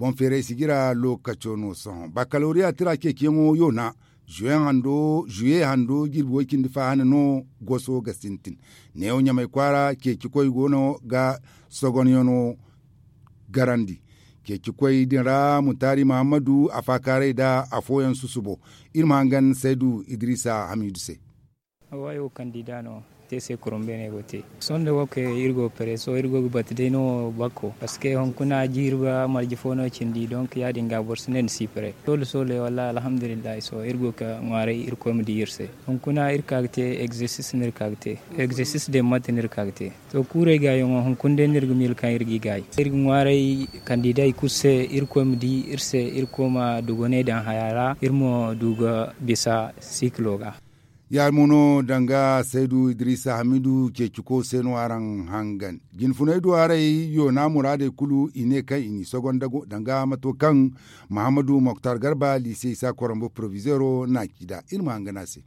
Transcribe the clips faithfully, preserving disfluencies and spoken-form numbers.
Boŋ feeray sijira lookaco no sohõ bakalooriya tira ceeciyaŋo yoona. Zuye hando jirbi way-cindi fa hane no goso ga sintin. Neewo ɲamay kwaara ceecikoy go no ga sogonyaŋo garandi. Ceecikoy din ra mutaari muhammadu a faakaaray nda afooyaŋ susubo. Iri ma hangan saydu idiriisa hamiidu se. Awa ay wo kandida no te se kurum beene go te. Sohõ nda wo kay iri go ga pare sohõ iri go ga batu day no bakko parceque hunkuna jiiri ba marje fo no cindi donk ya- din ga boro si ne ni si pare. Soole soole wallaahi alhamdulillahi sohõ iri go ga ŋwaaray irkoy ma di iri se. Hunkuna iri ka ga te egzersis no iri ka ga te. Egzersis day mate no iri ka ga te. To kuurey gaayaŋo hunkuna day no iri ga miila kaŋ iri ga i gaay. Iri ga ŋwaaray kandiday kulu se irkoy ma di iri se irkoy ma dugoney daŋ haya ra iri ma du ga bisa sikilo ga. Ya- din mo no danga saydu idiriisa hamiidu ceeciko se no araŋ hangan. Jinfunay duwarey yoona muraadey kulu i ne kaŋ i n'i sogonda danga mato kaŋ muhammadu moktar garba liise isa koronbo porovizeero n'a ci nd'a iri ma hangan a se.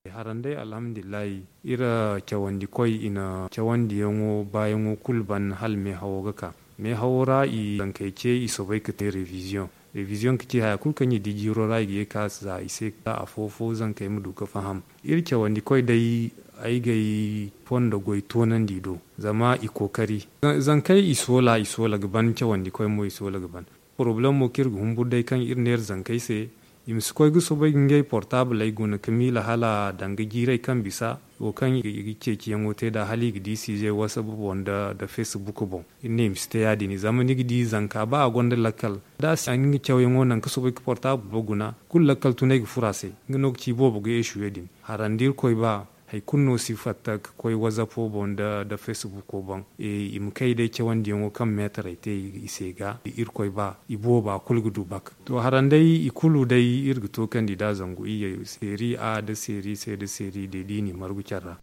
Haran day alhamdulillahi iri cawandikoy i na cawandiyaŋo baayaŋo kulu ban hala meehawo ga ka. Meehawo ra i zankey ce i soobay ga te reviziyoŋ. Reviziyoŋ ga ci haya kulu kaŋ i di jiiro ra i ga ye ga ka za i se. Afo fo zankey ma du ga faham. Iri cawandikoy day ay ga ay fondo goy toonandi do zama i kookari. Zankey i soola i soola ga ban cawandikoy mo i soola ga ban. Porobalem mo kaŋ iri ga humburu day kaŋ iri neera zankey se i ma si koy ga soobay ga ngey portaabaley guna ga miila hala danga jiirey kaŋ bisa wo kaŋ i ga ceeciyaŋo te nd'a hala i ga di siizey wasabu boŋ nda feesibuku boŋ. Iri ne i ma si te ya- din zama ni ga di zanka ba a gonda lakkal da a si a nga cawyaŋo naŋ ga soobay ga portaabalo guna kulu lakkal tunay ga furo a se. Nga no ga ci boobo ga eesuwe din harandi irkoy ba. Hari kulu no si fatta ga koy wazapo boŋ nda feesibuko boŋ. I ma kay day cawandiyaŋo kaŋ meetarey te i se ga irkoy ba i booba kulu ga du bak. To haranday i kulu day iri ga to kandida zangu iyye seeri a nda seeri se nda seeri day da i n'i margu care ra.